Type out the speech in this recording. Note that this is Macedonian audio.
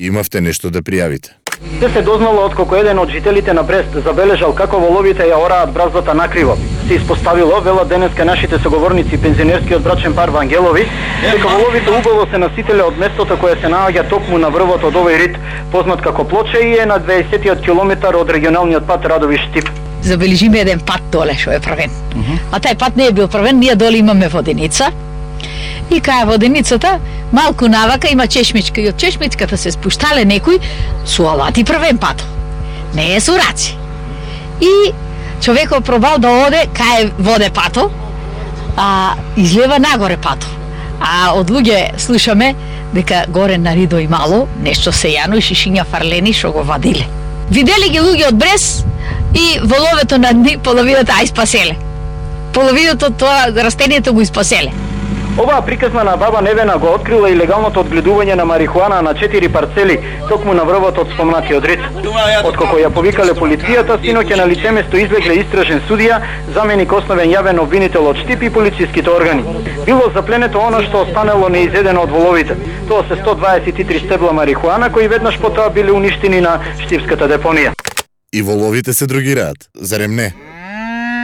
Имавте нешто да пријавите. Се дознало откако еден од жителите на Брест забележал како воловите ја ораат браздата накриво. Се испоставило, велат денеска нашите соговорници пензионерскиот брачен пар Вангелови, дека воловите убаво се насителе од местото кое се наоѓа токму на врвот од овој рит, познат како Плоча и е на 20-тиот километар од регионалниот пат Радовиш-Штип. Забележиме еден пат доле што е правен. А тај пат не е бил правен, ние доле имаме воденица. И кај воденицата малку навака има чешмичка и од чешмичката се спуштале некои со алати правен пат. Не е со раци. И човекот пробал да оде кај воде пато, а излева нагоре пато. А од луѓе слушаме дека горе на Ридо и мало нешто сејано и шишиња фарлени што го вадиле. Видели ги луѓе од Брес и воловето на дни половината испаселе. Половината тоа растението го испаселе. Оваа приказна на баба Невена го открила и легалното одгледување на марихуана на 4 парцели, токму на врвот од спомнатиот рит. Откако ја повикале полицијата, синоќа на лице место излегле истражен судија, заменик основен јавен обвинител од Штип и полициските органи. Било запленето оно што останало неизедено од воловите. Тоа се 123 стебла марихуана кои веднаш потоа биле уништени на штипската депонија. И воловите се другираат, зарем не?